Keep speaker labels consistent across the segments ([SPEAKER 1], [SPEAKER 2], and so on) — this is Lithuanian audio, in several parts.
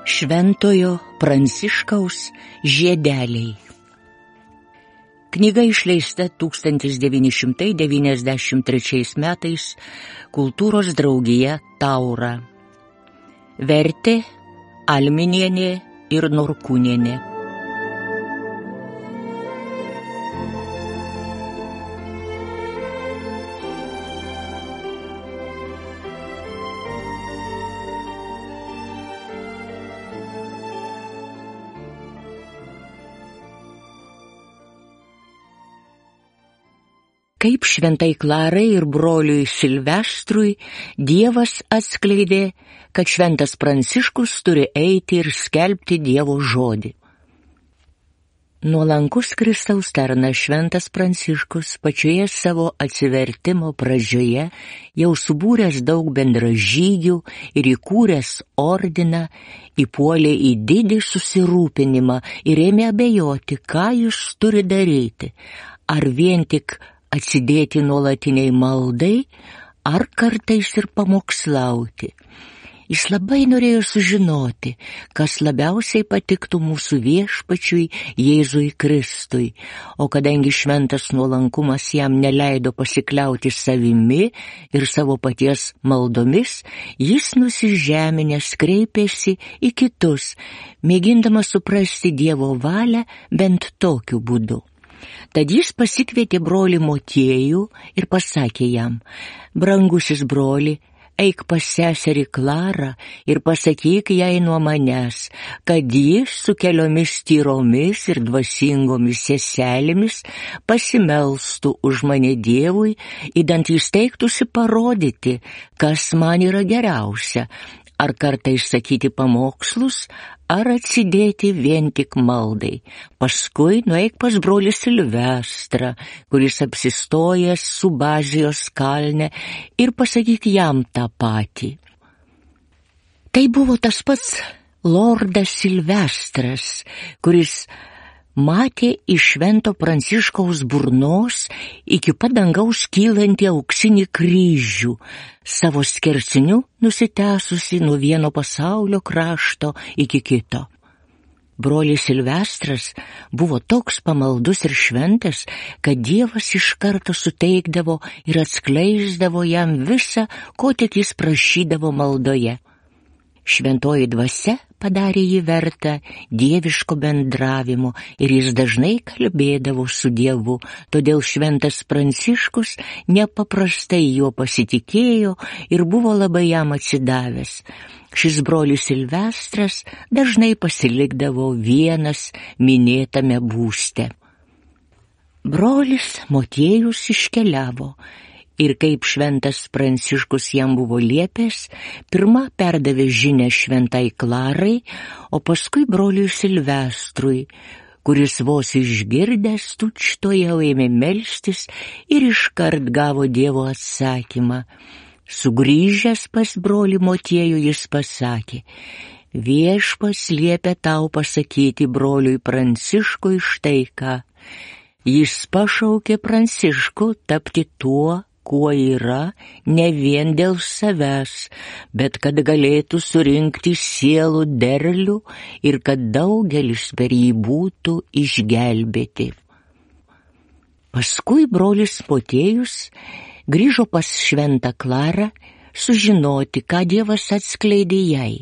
[SPEAKER 1] Šventojo Pranciškaus žiedeliai. Knyga išleista 1993 metais Kultūros draugija Taura. Vertė Alminienė ir Norkūnienė. Kaip šventai Klarai ir broliui Silvestrui Dievas atskleidė, kad šventas Pranciškus turi eiti ir skelbti Dievo žodį. Nuolankus Kristaus tarnas šventas Pranciškus pačioje savo atsivertimo pradžioje jau subūręs daug bendražygių ir įkūręs ordiną, įpuolė į didį susirūpinimą ir ėmė abejoti, ką jis turi daryti, ar vien tik atsidėti nuolatiniai maldai, ar kartais ir pamokslauti. Jis labai norėjo sužinoti, kas labiausiai patiktų mūsų viešpačiui Jėzui Kristui, o kadangi šventas nuolankumas jam neleido pasikliauti savimi ir savo paties maldomis, jis nusižeminęs kreipėsi į kitus, mėgindamas suprasti Dievo valią bent tokiu būdu. Tad jis pasikvietė brolį Motiejų ir pasakė jam: brangusis broli, eik pas seserį Klarą ir pasakyk jai nuo manęs, kad jis su keliomis tyromis ir dvasingomis seselėmis pasimelstų už mane Dievui, idant jis teiktųsi parodyti, kas man yra geriausia, ar kartais sakyti pamokslus, ar atsidėti vien tik maldai. Paskui nueik pas brolį Silvestrą, kuris apsistojęs Subazijos kalne, ir pasakyk jam tą patį. Tai buvo tas pats lordas Silvestras, kuris matė iš švento Pranciškaus burnos iki pat dangaus kylantį auksinį kryžių, savo skersiniu nusitęsusi nuo vieno pasaulio krašto iki kito. Brolis Silvestras buvo toks pamaldus ir šventas, kad Dievas iš karto suteikdavo ir atskleisdavo jam visą, ko tik jis prašydavo maldoje. Šventoji dvasia padarė jį vertą dieviško bendravimo ir jis dažnai kalbėdavo su Dievu, todėl šventas Pranciškus nepaprastai juo pasitikėjo ir buvo labai jam atsidavęs. Šis brolis Silvestras dažnai pasilikdavo vienas minėtame būste. Brolis Motiejus iškeliavo. Ir kaip šventas Pranciškus jam buvo liepęs, pirma perdavė žinią šventai Klarai, o paskui broliui Silvestrui, kuris vos išgirdęs tučtuojau ėmė melstis ir iškart gavo Dievo atsakymą. Sugrįžęs pas brolį Motiejų jis pasakė: viešpats liepia tau pasakyti broliui Pranciškui štai ką. Jis pašaukė Pranciškų tapti tuo, kuo yra, ne vien dėl savęs, bet kad galėtų surinkti sielų derlių ir kad daugelis per jį būtų išgelbėti. Paskui brolis Motiejus grįžo pas šventą Klarą sužinoti, ką Dievas atskleidė jai.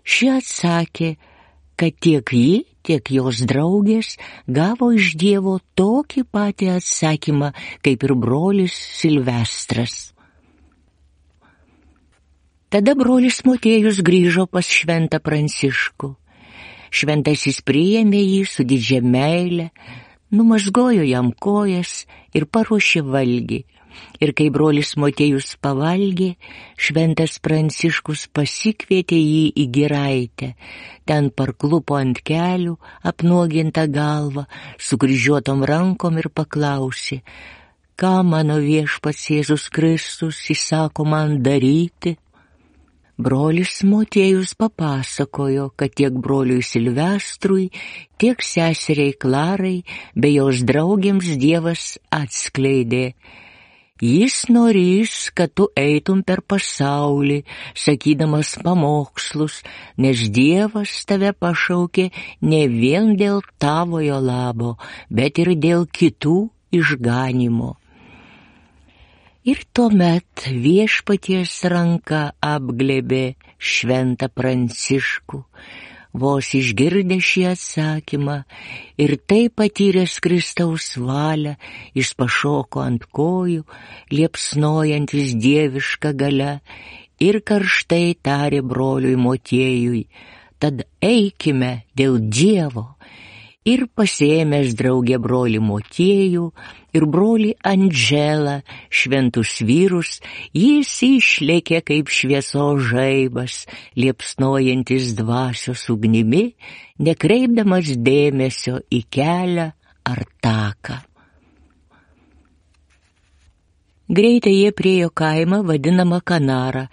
[SPEAKER 1] Ši atsakė, kad tiek ji, tiek jos draugės gavo iš Dievo tokį patį atsakymą, kaip ir brolis Silvestras. Tada brolis Motiejus grįžo pas šventą Pranciškų. Šventasis priėmė jį su didžia meile, numazgojo jam kojas ir paruošė valgį. Ir kai brolis Motiejus pavalgė, šventas Pranciškus pasikvietė jį į giraitę. Ten parklupo ant kelių, apnuogintą galvą, sukryžiuotom rankom ir paklausė: ką mano viešpats Jėzus Kristus įsako man daryti? Brolis Motiejus papasakojo, kad tiek broliui Silvestrui, tiek seseriai Klarai bei jos draugėms Dievas atskleidė: Jis norės, kad tu eitum per pasaulį, sakydamas pamokslus, nes Dievas tave pašaukė ne vien dėl tavojo labo, bet ir dėl kitų išganimo. Ir tuomet Viešpaties ranka apglėbė šventą Pranciškų, vos išgirdęs šį atsakymą ir tai patyręs Kristaus valią, jis pašoko ant kojų, liepsnojantis dieviška galia ir karštai tarė broliui Motiejui: tad eikime dėl Dievo. Ir pasiėmęs draugę brolį Motiejų ir brolį Andželą, šventus vyrus, jis išlėkė kaip šviesos žaibas, liepsnojantis dvasios ugnimi, nekreipdamas dėmesio į kelią ar taką. Greitai jie priėjo kaimą vadinamą Kanarą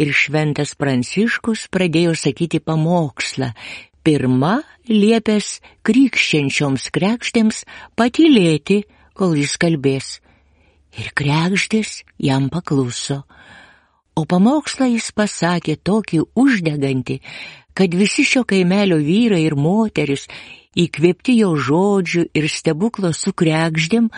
[SPEAKER 1] ir šventas Pranciškus pradėjo sakyti pamokslą, pirma liepęs krikščiančioms kregždėms patylėti, kol jis kalbės. Ir kregždės jam pakluso. O pamokslą jis pasakė tokį uždegantį, kad visi šio kaimelio vyrai ir moteris, įkvėpti jo žodžių ir stebuklo su kregždėm,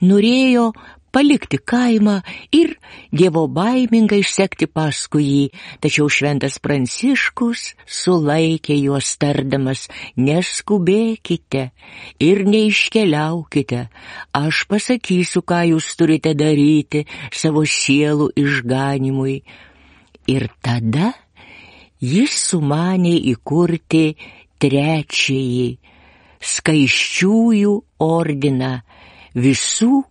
[SPEAKER 1] norėjo palikti kaimą ir dievobaimingai sekti paskui jį, tačiau šventas Pranciškus sulaikė juos tardamas: neskubėkite ir neiškeliaukite, aš pasakysiu, ką jūs turite daryti savo sielų išganimui. Ir tada jis sumanė įkurti trečiąjį skaisčiųjų ordiną, visų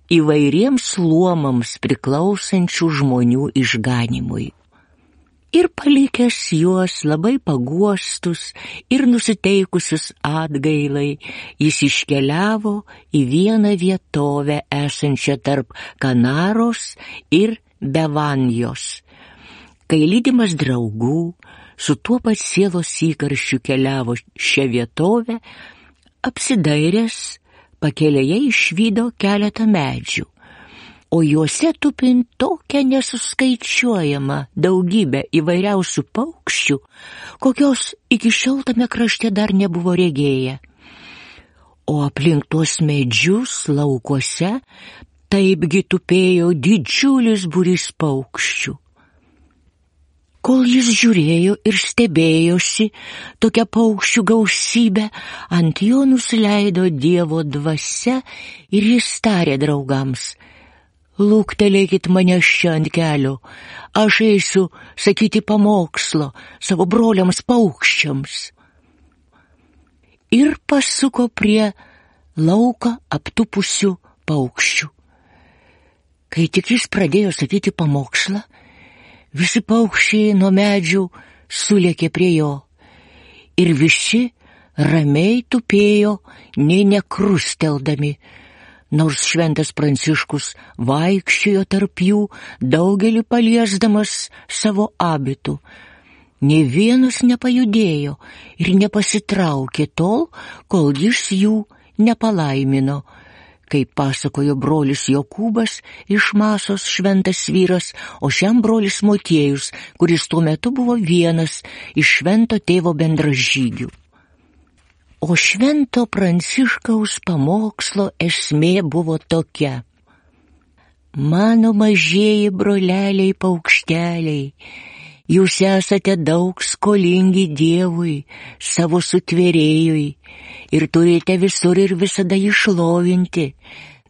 [SPEAKER 1] įvairiems luomams priklausančių žmonių išganimui. Ir palikęs juos labai paguostus ir nusiteikusius atgailai, jis iškeliavo į vieną vietovę esančią tarp Kanaros ir Bevanjos. Kai lydimas draugų su tuo pat sielos įkarščiu keliavo šią vietovę, apsidairęs, pakelėje išvydo keletą medžių, o juose tupint tokią nesuskaičiuojamą daugybę įvairiausių paukščių, kokios iki šiol tame krašte dar nebuvo regėję. O aplink tuos medžius laukuose taipgi tupėjo didžiulis būrys paukščių. Kol jis žiūrėjo ir stebėjosi tokia paukščių gausybė, ant jo nusileido Dievo dvasia ir jis tarė draugams: luktelėkit mane čia ant kelio, aš eisiu sakyti pamokslo savo broliams paukščiams. Ir pasuko prie lauką aptupusių paukščių. Kai tik jis pradėjo sakyti pamokslą, visi paukščiai nuo medžių sulėkė prie jo ir visi ramiai tupėjo, nė nekrusteldami, nors šventas Pranciškus vaikščiojo tarp jų, daugelį paliesdamas savo abitu. Nė vienas nepajudėjo ir nepasitraukė tol, kol jis jų nepalaimino. Kaip pasakojo brolis Jokūbas iš Masos šventas vyras, o šiam brolis Motiejus, kuris tuo metu buvo vienas iš švento tėvo bendražygių. O švento Pranciškaus pamokslo esmė buvo tokia: mano mažieji broleliai paukšteliai, jūs esate daug skolingi Dievui, savo sutvėrėjui, ir turite visur ir visada jį šlovinti,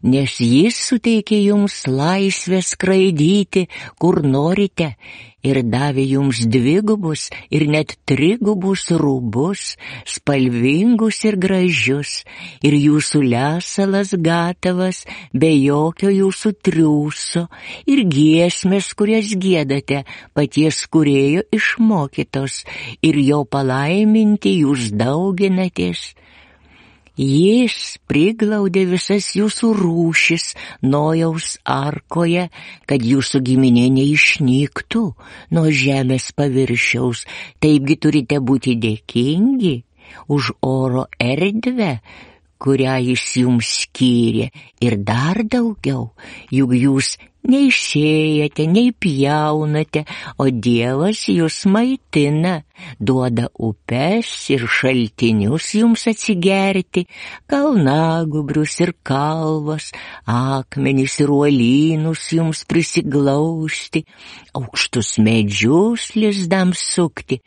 [SPEAKER 1] nes jis suteikė jums laisvę skraidyti, kur norite, ir davė jums dvigubus ir net trigubus rūbus, spalvingus ir gražius, ir jūsų lesalas gatavas, be jokio jūsų triūso, ir giesmės, kurias giedate, paties kūrėjo išmokytos, ir jo palaiminti jūs dauginatės. Jis priglaudė visas jūsų rūšis Nojaus arkoje, kad jūsų giminė neišnyktų nuo žemės paviršiaus. Taipgi turite būti dėkingi už oro erdvę, kurią jis jums skyrė, ir dar daugiau, juk jūs neišėjate, nei pjaunate, o Dievas jūs maitina, duoda upes ir šaltinius jums atsigerti, kalnagubrius ir kalvas, akmenis ir uolynus jums prisiglausti, aukštus medžius lizdams sukti.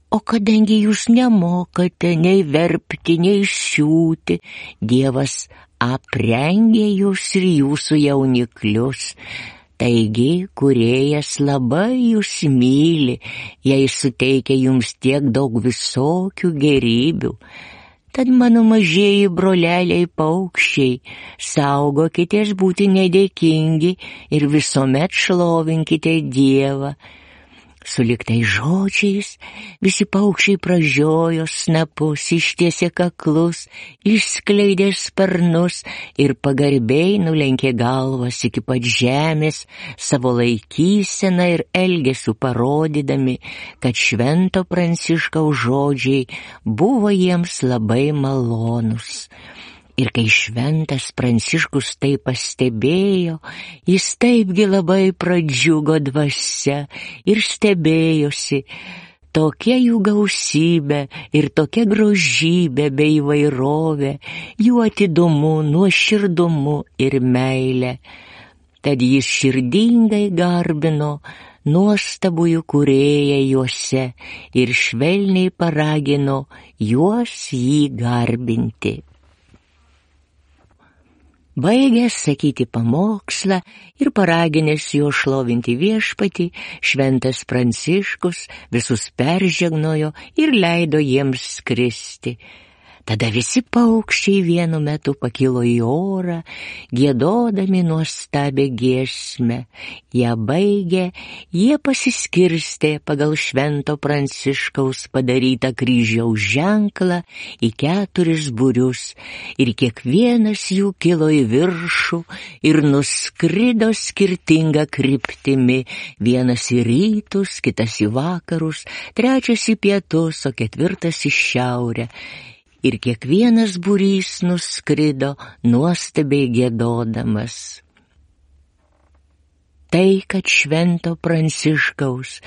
[SPEAKER 1] O kadangi jūs nemokate nei verpti, nei siūti, Dievas aprengė jūs ir jūsų jauniklius. Taigi, Kūrėjas labai jūs myli, jei suteikia jums tiek daug visokių gerybių. Tad mano mažieji broleliai paukščiai, saugokitės būti nedėkingi ir visuomet šlovinkite Dievą. Sulig tais žodžiais visi paukščiai pražiojo snapus, ištiesė kaklus, išskleidė sparnus ir pagarbiai nulenkė galvas iki pat žemės, savo laikyseną ir elgesiu parodydami, kad Švento Pranciškaus žodžiai buvo jiems labai malonus. Ir kai Šventas Pranciškus tai pastebėjo, jis taipgi labai pradžiugo dvasia ir stebėjosi, tokia jų gausybė ir tokia grožybė bei įvairovė, jų atidumu, nuoširdumu ir meilė. Tad jis širdingai garbino nuostabųjų Kūrėją juose ir švelniai paragino juos jį garbinti. Baigęs sakyti pamokslą ir paraginęs jo šlovinti Viešpatį, Šventas Pranciškus visus peržegnojo ir leido jiems skristi. Tada visi paukščiai vienu metu pakilo į orą, giedodami nuostabią giesmę. Ją baigę, jie pasiskirstė pagal Švento Pranciškaus padarytą kryžiaus ženklą į 4 būrius, ir kiekvienas jų kilo į viršų ir nuskrido skirtinga kryptimi, vienas į rytus, kitas į vakarus, trečias į pietus, o 4 į šiaurę. Ir kiekvienas būrys nuskrido nuostabiai giedodamas. Tai, kad Švento Pranciškaus,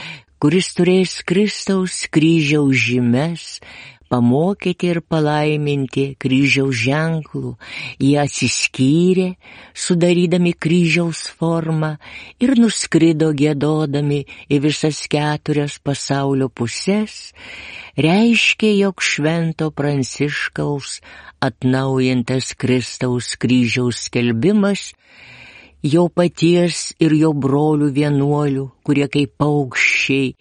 [SPEAKER 1] kuris turės Kristaus kryžiaus žymes, pamokyti ir palaiminti kryžiaus ženklų, jie atsiskyrė, sudarydami kryžiaus formą ir nuskrido giedodami į visas 4 pasaulio puses, reiškia, jog Švento Pranciškaus atnaujintas Kristaus kryžiaus skelbimas jo paties ir jo brolių vienuolių, kurie kaip paukščiai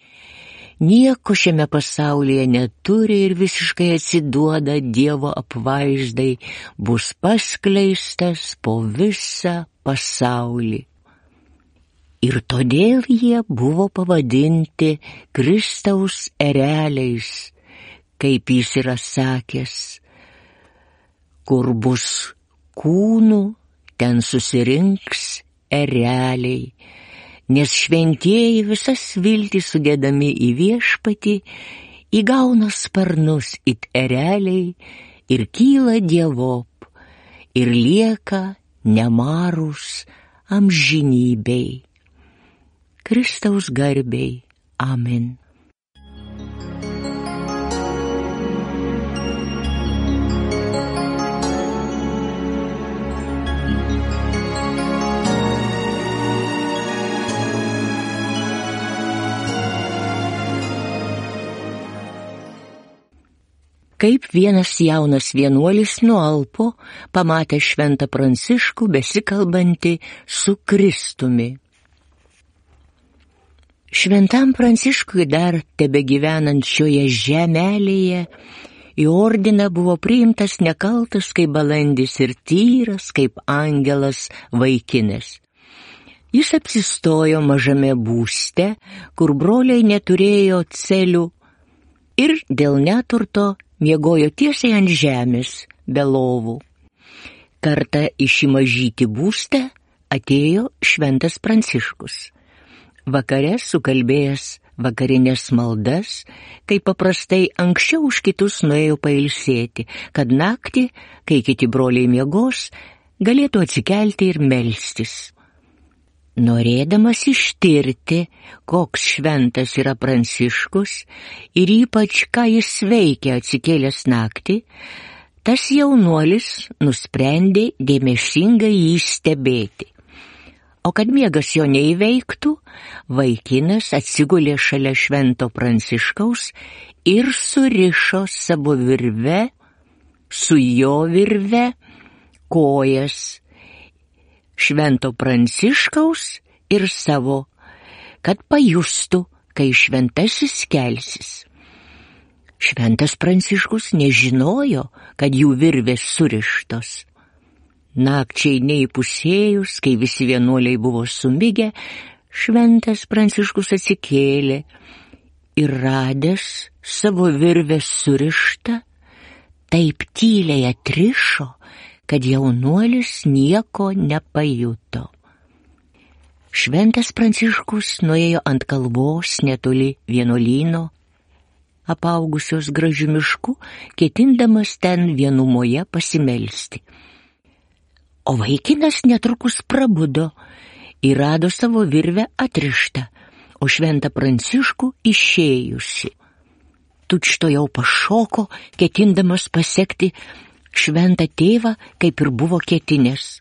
[SPEAKER 1] nieko šiame pasaulyje neturi ir visiškai atsiduoda Dievo apvaizdai, bus paskleistas po visą pasaulį. Ir todėl jie buvo pavadinti Kristaus ereliais, kaip jis yra sakęs, kur bus kūnų, ten susirinks ereliai, nes šventieji visas viltis sudėdami į Viešpatį įgauna sparnus it ereliai ir kyla dievop ir lieka nemarūs amžinybei. Kristaus garbei. Amen. Kaip vienas jaunas vienuolis nualpo, pamatė Šventą Pranciškų besikalbantį su Kristumi. Šventam Pranciškui dar tebegyvenant šioje žemelėje, į ordiną buvo priimtas nekaltas kaip balandis ir tyras kaip angelas vaikinas. Jis apsistojo mažame būste, kur broliai neturėjo celių ir dėl neturto miegojo tiesiai ant žemės, be lovų. Kartą į šį mažytį būstą atėjo Šventas Pranciškus. Vakare sukalbėjęs vakarinės maldas, kai paprastai anksčiau už kitus nuėjo pailsėti, kad naktį, kai kiti broliai miegos, galėtų atsikelti ir melstis. Norėdamas ištirti, koks šventas yra Pranciškus ir ypač ką jis veikia atsikėlęs naktį, tas jaunuolis nusprendė dėmesingai jį stebėti. O kad miegas jo neįveiktų, vaikinas atsigulė šalia švento Pranciškaus ir surišo savo virve, su jo virve, kojas švento Pranciškaus ir savo, kad pajustų, kai šventasis kelsis. Šventas Pranciškus nežinojo, kad jų virvės surištos. Nakčiai neįpusėjus, kai visi vienuoliai buvo sumigę, šventas Pranciškus atsikėlė ir radęs savo virvę surištą, taip tyliai atrišo, kad jaunuolis nieko nepajuto. Šventas Pranciškus nuėjo ant kalvos netoli vienuolyno, apaugusios gražiu mišku, ketindamas ten vienumoje pasimelsti. O vaikinas netrukus prabudo ir rado savo virvę atrištą, o šventą Pranciškų išėjusi. Tučtuojau pašoko, ketindamas pasekti šventą tėvą, kaip ir buvo ketinęs.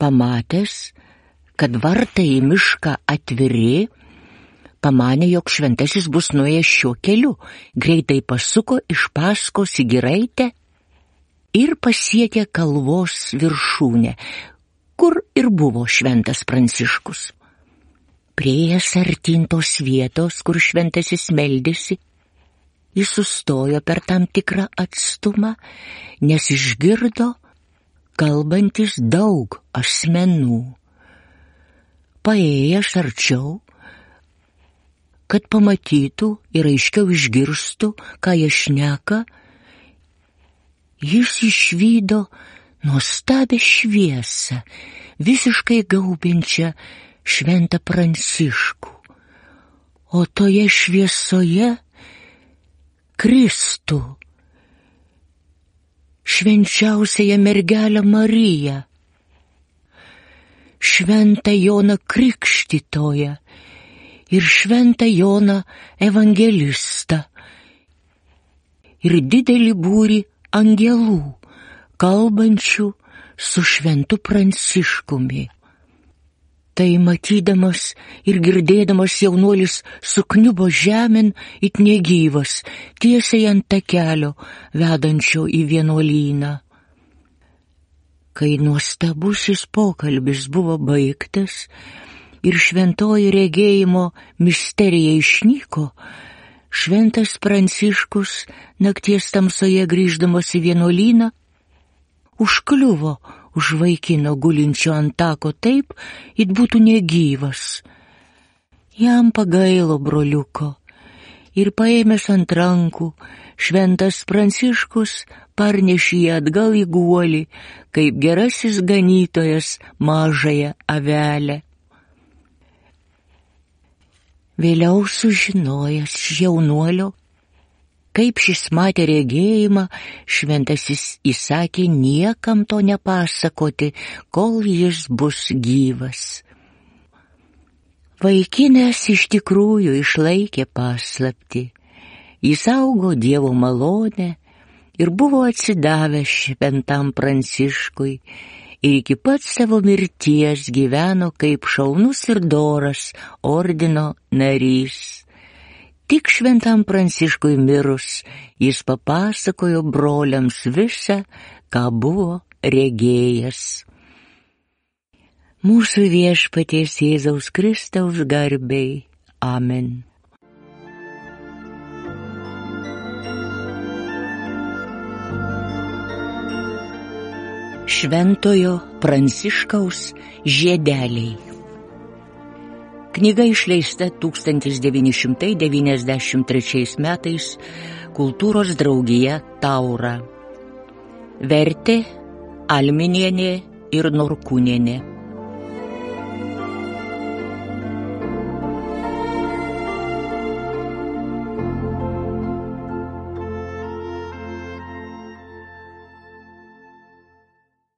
[SPEAKER 1] Pamatęs, kad vartai į mišką atviri, pamanė, jog šventasis bus nuėjęs šiuo keliu, greitai pasuko iš paskos į giraitę ir pasiekė kalvos viršūnę, kur ir buvo šventas Pranciškus. Priėjęs artyn tos vietos, kur šventasis meldėsi, jis sustojo per tam tikrą atstumą, nes išgirdo kalbantis daug asmenų. Paėjęs arčiau, kad pamatytų ir aiškiau išgirstų, ką jie šneka, jis išvydo nuostabią šviesą, visiškai gaubiančią šventą Pranciškų. O toje šviesoje Kristų, švenčiausiąją mergelę Mariją, šventą Joną Krikštytoją ir šventą Joną Evangelistą ir didelį būrį angelų, kalbančių su šventu Pranciškumi. Tai matydamas ir girdėdamas jaunuolis sukniubo žemėn it negyvas, tiesiai ant takelio, vedančio į vienuolyną. Kai nuostabusis pokalbis buvo baigtas ir šventoji regėjimo misterija išnyko, šventas Pranciškus nakties tamsoje grįždamas į vienuolyną užkliuvo už vaikino gulinčio ant tako taip, it būtų negyvas. Jam pagailo broliuko ir paėmęs ant rankų, šventas Pranciškus parnešė jį atgal į guolį, kaip gerasis ganytojas mažąją avelę. Vėliau sužinojęs jaunuolio, kaip šis matė regėjimą, šventasis įsakė niekam to nepasakoti, kol jis bus gyvas. Vaikinas iš tikrųjų išlaikė paslaptį. Jis augo Dievo malonę ir buvo atsidavęs šventam Pranciškui ir iki pat savo mirties gyveno kaip šaunus ir doras ordino narys. Tik šventam Pranciškui mirus, jis papasakojo broliams visą, ką buvo regėjęs. Mūsų Viešpaties Jėzaus Kristaus garbei. Amen. Šventojo Pranciškaus žiedeliai. Knyga išleista 1993 metais Kultūros draugija Taura. Vertė Alminienė ir Norkūnienė.